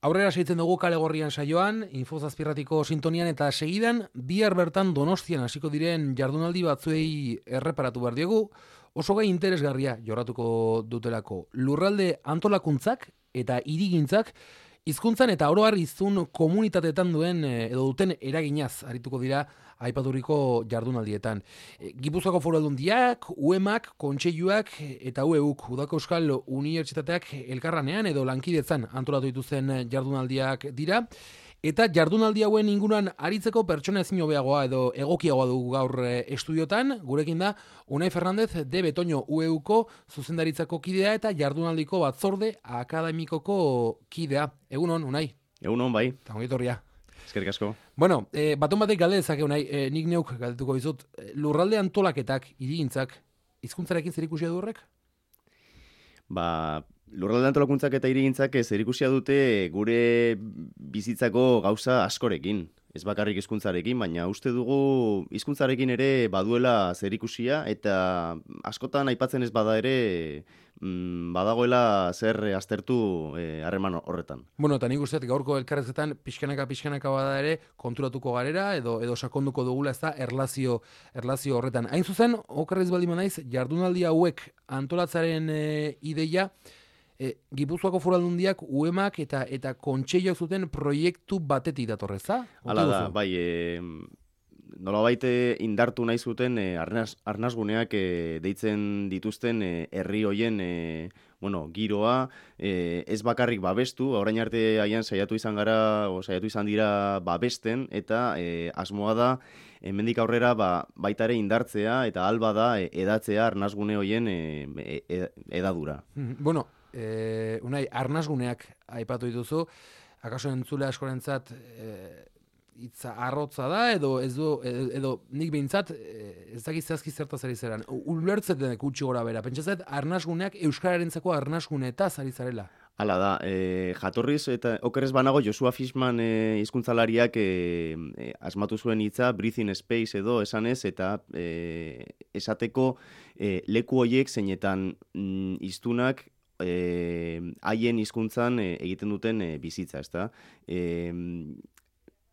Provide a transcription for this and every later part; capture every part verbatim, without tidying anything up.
Aurrera segitzen dugu Kale Gorrian saioan, Infozazpirratiko sintonian eta segidan bihar bertan Donostian hasiko diren jardunaldi batzuei erreparatu behar diegu, oso gai interesgarria jorratuko dutelako. Lurralde antolakuntzak eta hirigintzak hizkuntzan eta oro har hiztun komunitateetan duen edo duten eraginaz arituko dira aipaturiko jardunaldietan. Gipuzkoako Foru Aldundiak, U E Mak, Kontseiluak eta U E Uk, Udako Euskal Unibertsitateak elkarranean edo lankidetzan antolatu dituzten jardunaldiak dira. Eta jardunaldi hauen inguruan aritzeko pertsona ezin hobeagoa edo egokiagoa dugu gaur estudiotan. Gurekin da Unai Fernandez de Betoño U E Uko zuzendaritzako kidea eta jardunaldiko batzorde akademikoko kidea. Egunon, Unai. Egunon, bai. Eta ongi etorria. Eskerrik asko. Bueno, eh, baton batek galde dezake, Unai, eh, nik neuk galdetuko dizut. Lurralde antolaketak, hirigintzak, hizkuntzarekin zerikusia du horrek? Ba, lurralde antolakuntzak eta hirigintzak zerikusia dute gure bizitzako gauza askorekin. Ez bakarrik hizkuntzarekin, baina uste dugu hizkuntzarekin ere baduela zerikusia eta askotan aipatzen ez bada ere mm, badagoela zer aztertu harreman eh, horretan. Bueno, eta nik usteet gaurko elkarrezetan pixkanaka pixkanaka bada ere konturatuko garera edo edo sakonduko dugula ez da erlazio, erlazio horretan. Hain zuzen, okerrez baldin naiz, jardunaldi hauek antolatzaren e, ideia E, Gipuzkoako Foru Aldundiak, U E Mak eta eta Kontseiluak zuten proiektu batetik datorreza? Hala da, bai, e, nolabait indartu nahi zuten e, arnaz, arnazguneak e, deitzen dituzten e, herri hoien e, bueno, giroa, e, ez bakarrik babestu, orain arte haian saiatu izan gara, o saiatu izan dira babesten, eta e, asmoa da, hemendik aurrera ba, baita ere indartzea, eta alba da e, edatzea arnazgune hoien e, e, edadura. Bueno, Eh, Unai, arnazguneak aipatu dituzu, akaso entzule askorentzat eh, hitza arrotza da, edo ez du, edo, edo nik behintzat eh, ez dakit zehazki zertaz ari zeran. Ulertzeten gutxi gora bera, pentsazet arnazguneak euskararentzako arnazguneetaz ari zarela. Hala da, e, jatorriz eta okerrez banago Josua Fishman e, hizkuntzalariak e, e, asmatu zuen hitza breathing space edo esanez eta e, esateko e, leku hoiek zeinetan mm, hiztunak haien e, hizkuntzan e, egiten duten e, bizitza, ezta? E,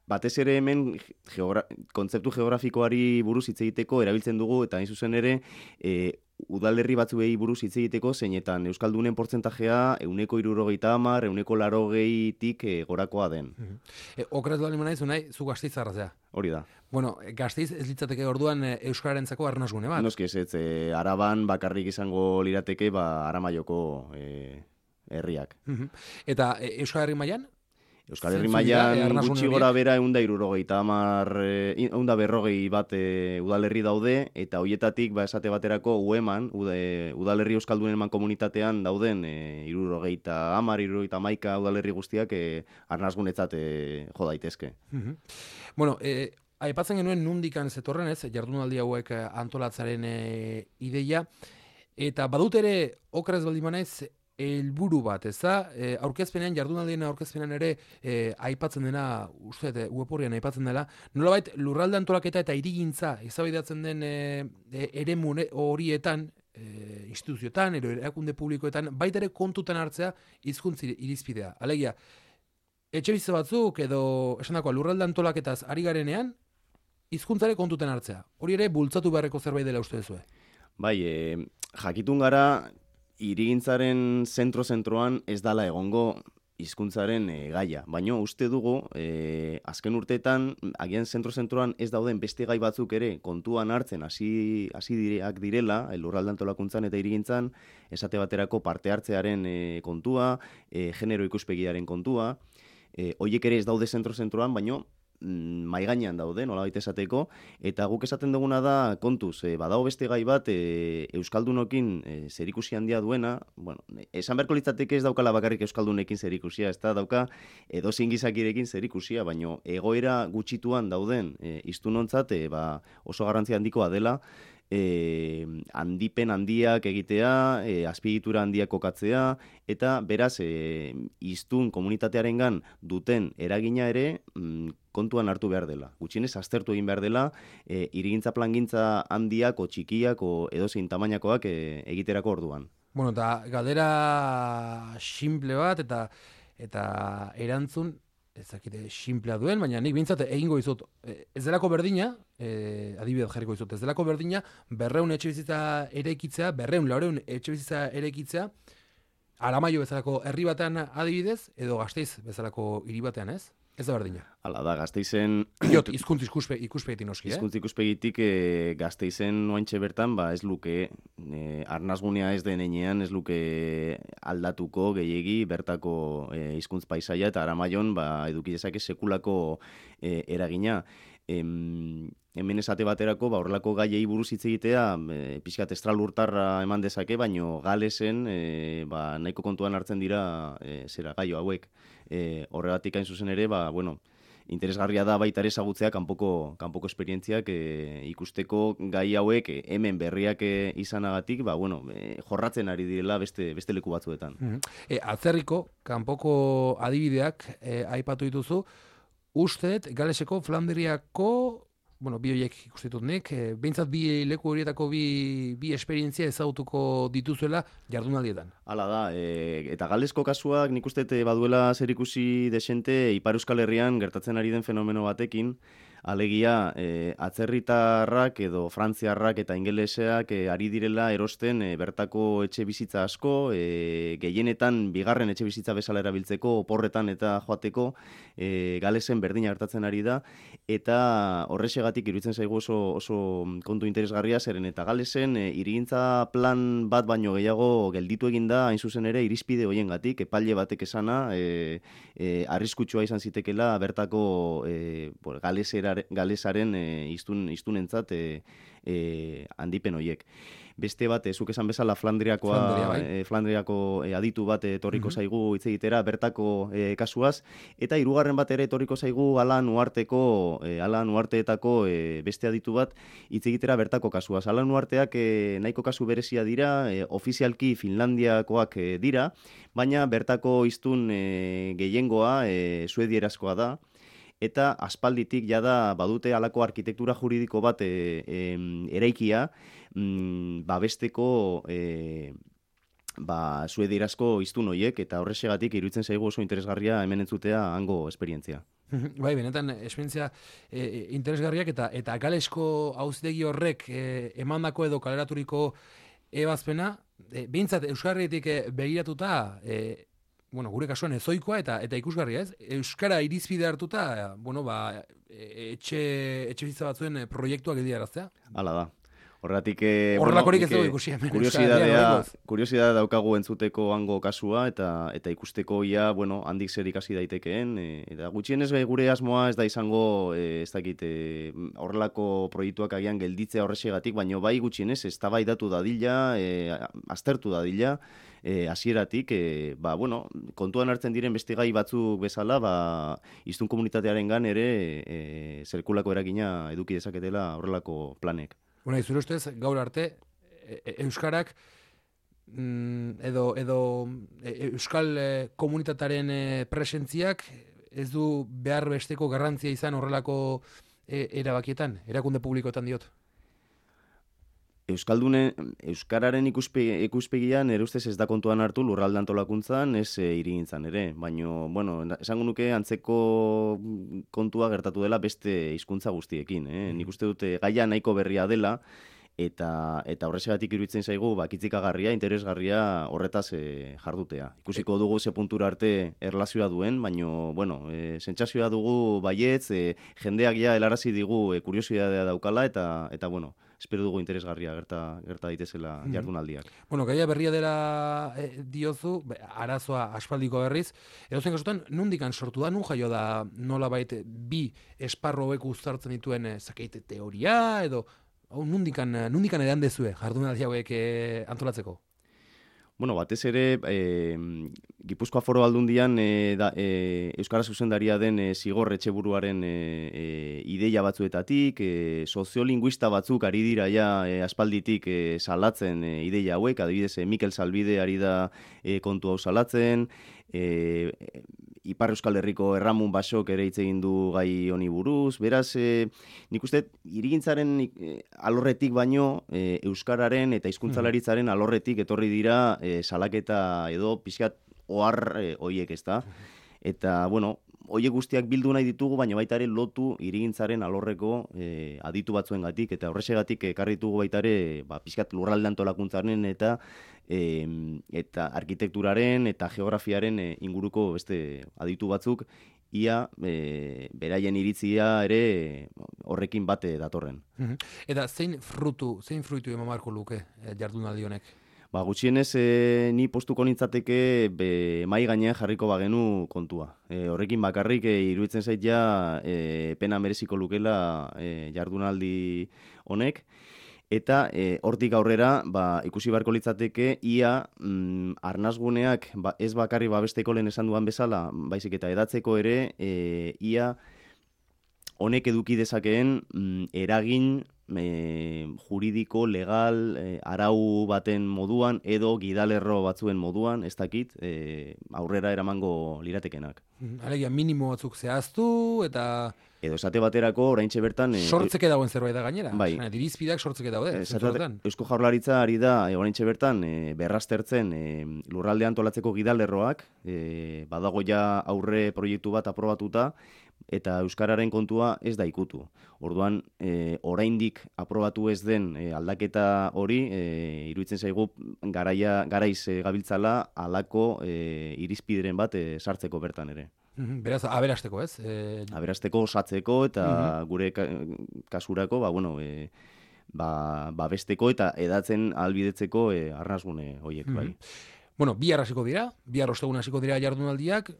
batez ere hemen geogra kontzeptu geografikoari buruz hitz egiteko erabiltzen dugu eta hain zuzen ere e, udalerri batzuei buruz hitz egiteko zeinetan euskaldunen portzentajea ehuneko hirurogeita hamar, ehuneko laurogeitik e, gorakoa den. Mm-hmm. e, Okeraz bali naiz, Unai, zu Gasteiztarra zea. Hori da. Bueno, Gasteiz ez litzateke orduan e, euskararentzako arnazgune bat? Noski ez, ez e, Araban bakarrik izango lirateke ba Aramaioko e, herriak. Mm-hmm. Eta e, Euskal Herri mailan? Euskal Herri mailan gutxi gora bera ehun eta hirurogeita hamar, ehun eta berrogei bat e, udalerri daude, eta hoietatik ba esate baterako U E Man, ude, udalerri euskaldunen eman komunitatean dauden e, hirurogeita hamar, hirurogeita hamaika udalerri guztiak e, arnazgunetzat e, jo daitezke. Mm-hmm. Bueno, e, aipatzen genuen nundikan zetorren ez, jardunaldi hauek antolatzaren e, ideia, eta badut ere okerez baldin banaiz helburu bat, ez da? E, aurkezpenean, jardunaldien aurkezpenean ere e, aipatzen dena, uste, web horrian aipatzen dela, nolabait lurralde antolaketa eta hirigintza eztabaidatzen den e, e, eremu horietan, e, instituzioetan, ero erakunde publikoetan, baita ere kontutan hartzea hizkuntza irizpidea. Alegia, etxe bizitza batzuk edo esandakoa lurralde antolaketaz ari garenean, hizkuntzare kontutan hartzea. Hori ere bultzatu beharreko zerbait dela uste duzue. Bai, e, jakitun gara hirigintzaren zentro-zentroan ez dala egongo hizkuntzaren e, gaia. Baina uste dugu, e, azken urteetan, agian zentro-zentroan ez dauden beste gai batzuk ere kontuan hartzen hasi hasi direak direla, lurralde antolakuntzan eta hirigintzan, esate baterako parte hartzearen e, kontua, e, genero ikuspegiaren kontua, e, hoiek ere ez daude zentro-zentroan, baina mai gainean daude, nolabait esateko, eta guk esaten duguna da kontuz, e, badago beste gai bat e, euskaldunokin e, zerikusi handia duena, bueno, esan beharko litzateke ez daukala bakarrik euskaldunekin zerikusia, ez da dauka edozein gizakirekin zerikusia, baino egoera gutxituan dauden e, hiztunontzat e, ba, oso garrantzia handikoa dela, E, handipen handiak egitea, e, azpiegitura handiak kokatzea, eta beraz e, hiztun komunitatearengan duten eragina ere mm, kontuan hartu behar dela. Gutxienez aztertu egin behar dela, e, hirigintza plangintza handiak o txikiak o edozein tamainakoak e, egiterako orduan. Bueno, eta galdera simple bat, eta eta erantzun, ezakite, simplea duen, baina nik bintzat egingo izut, ez delako berdina, e, adibidez jarriko izut, ez delako berdina, berreun etxe bizitza eraikitzea, berreun laureun etxe bizitza eraikitzea, Aramaio bezalako herri batean adibidez, edo Gasteiz bezalako hiri batean, ez? Ez da berdina. Hala da, Gasteizen... Iot, izkuntz ikuspe, ikuspegitik noski, eh? Izkuntz ikuspegitik e, Gasteizen oaintxe bertan, ba ez luke, e, arnazgunea ez den enean, ez luke aldatuko gehiegi bertako e, hizkuntz paisaia, eta Aramaion ba, eduki dezake sekulako e, eragina. Em, hemen esate baterako, ba, horrelako gaiei buruz hitz egitea, e, pixkat estralurtarra eman dezake, baino Galesen e, ba, nahiko kontuan hartzen dira e, zera gaio hauek. E, horregatik hain zuzen ere, ba, bueno, interesgarria da baita ere ezagutzea kanpoko kanpoko esperientziak e, ikusteko gai hauek e, hemen berriak e, izanagatik, ba, bueno, e, jorratzen ari direla beste beste leku batzuetan. Mm-hmm. e, atzerriko kanpoko adibideak e, aipatu dituzu, usteet Galeseko Flandriako, bueno, bi horiek ikustitut nik, e, behintzat bi leku horietako bi, bi esperientzia ezagutuko dituzuela jardunaldietan. Hala da, e, eta Galesko kasuak nik uste baduela zerikusi desente Ipar Euskal Herrian gertatzen ari den fenomeno batekin, alegia e, atzerritarrak edo frantziarrak eta ingeleseak e, ari direla erosten e, bertako etxe bizitza asko, e, gehienetan bigarren etxe bizitza bezala erabiltzeko, oporretan eta joateko, e, Galesen berdina gertatzen ari da, eta horrexegatik iruditzen zaigu oso, oso kontu interesgarria, zeren eta Galesen e, hirigintza plan bat baino gehiago gelditu egin da, hain zuzen ere irizpide hoiengatik, epaile batek esana, e, e, arriskutsua izan zitekela bertako e, Galesera galesaren e, iztun, iztunentzat e, e, handipen hoiek. Beste bat, e, zuk esan bezala Flandriakoa, Flandria, bai. e, Flandriako e, aditu bat etorriko zaigu hitz egitera bertako e, kasuaz, eta hirugarren bat ere etorriko zaigu Alan Uharteko, e, Alan Uharteetako e, beste aditu bat hitz egitera bertako kasuaz. Alan Uharteak e, nahiko kasu berezia dira, e, ofizialki Finlandiakoak e, dira, baina bertako hiztun e, gehiengoa e, suedierazkoa da, eta aspalditik jada badute halako arkitektura juridiko bat e, e, eraikia mm, babesteko e, ba, suedierazko hiztun horiek, eta horrexegatik iruditzen zaigu oso interesgarria hemen entzutea hango esperientzia. Bai, benetan esperientzia e, interesgarriak eta eta Galesko auzitegi horrek e, emandako edo kaleraturiko ebazpena, e, behintzat Euskarritik e, begiratuta, e, bueno, gure kasuan ezoikoa eta eta ikusgarria, ez? Euskara irizpide hartuta, bueno, ba, etxe etxe bizitza batzuen proiektuak egiaraztea. Hala da. Horregatik eh Horrelakorik ez dugu ikusi hemen. Kuriosidadea, kuriosidadea daukagu entzuteko hango kasua eta eta ikusteko ia, bueno, handik zer ikasi daitekeen, e, eta gutxienez gure asmoa ez da izango, e, ez dakit, e, horrelako proiektuak agian gelditzea horrexegatik, baino bai gutxienez eztabaidatu dadila, e, aztertu dadila, E, hasieratik, e, ba, bueno, kontuan hartzen diren beste gai batzuk bezala, ba, hiztun komunitatearengan ere e, zerkulako eragina eduki dezaketela horrelako planek. Bueno, izure ustez, gaur arte, e, e, Euskarak mm, edo, edo e, Euskal e, komunitatearen e, presentziak ez du behar besteko garrantzia izan horrelako e, erabakietan, erakunde publikoetan diot. Euskaldune, Euskararen ikuspe, ikuspegian ere ustez ez da kontuan hartu lurralde antolakuntzan, ez e, hirigintzan ere. Baina, bueno, esango nuke antzeko kontua gertatu dela beste hizkuntza guztiekin. Eh? Nik uste dute gaia nahiko berria dela, eta eta horrexegatik iruditzen zaigu bakitzikagarria, interesgarria horretaz e, jardutea. Ikusiko dugu ze puntura arte erlazioa duen, baina, bueno, e, sentsazioa dugu baietz, e, jendeak ja helarazi digu e, kuriosidadea daukala, eta, eta bueno, espero dugu interesgarria gerta gerta daitezela jardunaldiak. Mm. Bueno, gaia berria dela e, diozu, arazoa aspaldiko berriz, edozen kasutan, nundikan sortu da, nun jaio da nolabait bi esparro hauek uztartzen dituen e, zakeite teoria, edo hau nundikan, nundikan edan dezue jardunaldi hauek e, antolatzeko? Bueno, batez ere, e, Gipuzkoa Foru Aldundian e, da, e, Euskara zuzendaria den e, Zigor Etxeburuaren e, e, ideia batzuetatik, e, soziolinguista batzuk ari dira ja e, aspalditik e, salatzen e, ideia hauek, adibidez e, Mikel Salbide ari da e, kontu hau salatzen, e, Ipar Euskal Herriko Erramun Basok ere hitz egin du gai honi buruz, beraz, e, nik uste, hirigintzaren e, alorretik baino, e, Euskararen eta hizkuntzalaritzaren alorretik etorri dira e, salaketa edo pixkat ohar e, hoiek, ezta? Eta, bueno, hoiek guztiak bildu nahi ditugu, baina baita ere lotu hirigintzaren alorreko e, aditu batzuengatik, eta horrexegatik ekarri ditugu baita ere, ba, pixkat lurralde antolakuntzaren eta e, eta arkitekturaren eta geografiaren e, inguruko beste aditu batzuk, ia e, beraien iritzia ere horrekin bate datorren. Eta zein frutu, zein fruitu eman beharko luke e, jardunaldi honek? Ba, gutxienez, e, ni postuko nintzateke be, mai gainean jarriko bagenu kontua. E, horrekin bakarrik e, iruditzen zait ja e, pena mereziko lukela e, jardunaldi honek. Eta e, hortik aurrera ba, ikusi beharko litzateke ia mm, arnasguneak ba, ez bakarri babesteko lehen esan duan bezala, baizik eta edatzeko ere e, ia honek eduki dezakeen mm, eragin E, juridiko, legal, e, arau baten moduan edo gidalerro batzuen moduan, ez dakit, e, aurrera eramango liratekenak. Alegia, minimo batzuk zehaztu eta... Edo esate baterako, oraintxe bertan... E, sortzeke dauen zerbait da gainera. Bai. Dirizpideak sortzeke daude. E, Eusko Jaurlaritza ari da, e, oraintxe bertan, e, berraztertzen e, lurralde antolatzeko gidalerroak, e, badago ja aurre proiektu bat aprobatuta, eta euskararen kontua ez da ikutu. Orduan, e, oraindik aprobatu ez den e, aldaketa hori, e, iruditzen zaigu garaia, garaiz e, gabiltzala halako e, irizpideren bat e, sartzeko bertan ere. Beraz, aberasteko, ez? E... Aberasteko, osatzeko eta uh-huh. gure ka, kasurako, ba, bueno, e, ba, babesteko eta edatzen ahalbidetzeko e, arnasgune horiek, uh-huh. bai. Bueno, bihar hasiko dira, bihar ostegun hasiko dira jardunaldiak,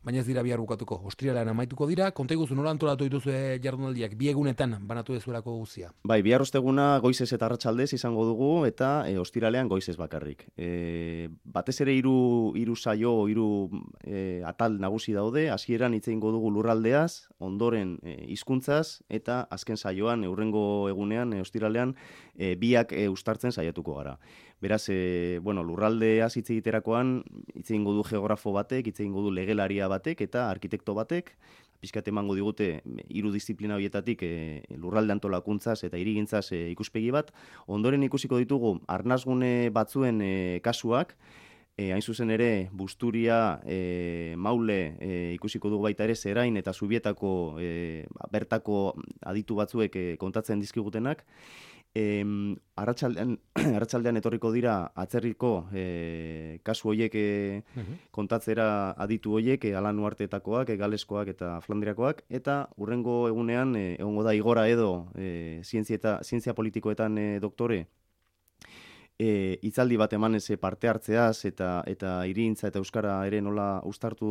baina ez dira bihar bukatuko. Ostiralean amaituko dira, konta iguzu nola antolatu dituzue jardunaldiak, bi egunetan banatu dezuelako guztia. Bai, bihar osteguna goizez eta arratsaldez izango dugu eta e, ostiralean goizez bakarrik. E, batez ere hiru hiru saio, hiru e, atal nagusi daude, hasieran hitz egingo dugu lurraldeaz, ondoren e, hizkuntzaz eta azken saioan hurrengo egunean e, ostiralean e, biak e, uztartzen saiatuko gara. Beraz, e, bueno, lurraldeaz hitz egiterakoan hitz egingo du geografo batek, hitz egingo du legelaria batek eta arkitekto batek, pixkat emango digute hiru disiplina horietatik e, lurralde antolakuntzaz eta hirigintzaz e, ikuspegi bat. Ondoren ikusiko ditugu arnasgune batzuen e, kasuak, e, hain zuzen ere Busturia, e, Maule e, ikusiko dugu baita ere Zerain eta Zubietako e, bertako aditu batzuek e, kontatzen dizkigutenak. E, arratsaldean, arratsaldean etorriko dira atzerriko e, kasu horiek e, uh-huh. kontatzera aditu horiek, e, Alan Uartetakoak, e, Galeskoak eta Flandriakoak, eta hurrengo egunean e, egongo da Igora Edo e, zientzia, eta, zientzia politikoetan e, doktore, E, itzaldi bat emanez parte hartzeaz eta eta hirigintza eta euskara ere nola uztartu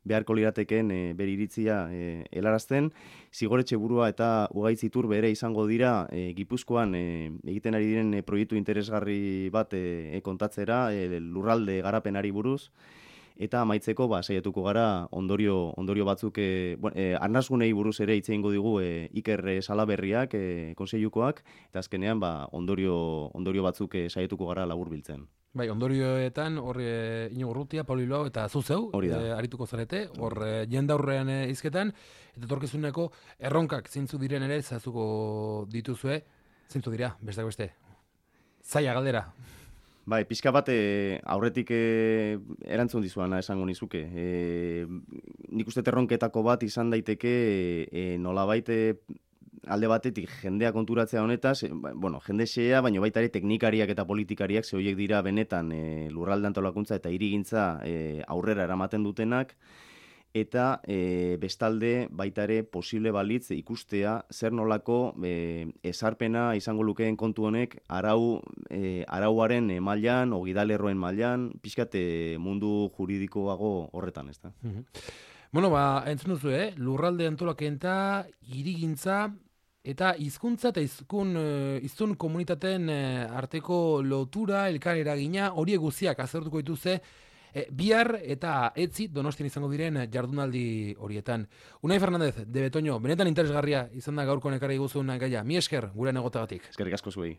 beharko liratekeen e, bere iritzia e, helarazten. Zigoretxe burua eta Ugaitz Iturbe ere izango dira e, Gipuzkoan e, egiten ari diren e, proiektu interesgarri bat e, e, kontatzera e, lurralde garapenari buruz. Eta amaitzeko ba saiatuko gara ondorio ondorio batzuk e, bueno, e, arnasgunei buruz ere hitz egingo digu e, Iker Salaberriak e, konseilukoak eta azkenean ba ondorio ondorio batzuk e, saiatuko gara laburbiltzen. Bai, ondorioetan hor e, Iñigo Urrutia, Paulo Bilbao eta zu zeu e, arituko zarete, hor e, jendaurrean e, hizketan eta etorkizuneko erronkak zeintzu diren ere zazuko dituzue, zeintzu dira, besteak beste. Zaila galdera. Bai, pixka bat e, aurretik e, erantzun dizuana esango nizuke. E, nik uste erronketako bat izan daiteke e, nolabait e, alde batetik jendea konturatzea honetaz, e, bueno, jende xea, baina baita ere teknikariak eta politikariak ze horiek dira benetan e, lurralde antolakuntza eta hirigintza e, aurrera eramaten dutenak, eta e, bestalde baita ere posible balitz ikustea zer nolako e, esarpena izango lukeen kontu honek arau, e, arauaren e, mailan, ogidalerroen mailan, pixkat e, mundu juridikoago horretan, ez da. Mm-hmm. Bueno, ba, entzun duzu, eh? Lurralde antolaketa, hirigintza eta hizkuntza eta hizkun hiztun komunitateen arteko lotura, elkar eragina, horiek guztiak aztertuko dituzte E, bihar eta etzi Donostian izango diren jardunaldi horietan. Unai Fernandez, de Betoño, benetan interesgarria izan da gaurko ekarri guzun gaia. Mi esker, gure negotagatik. Eskerrik asko zuei.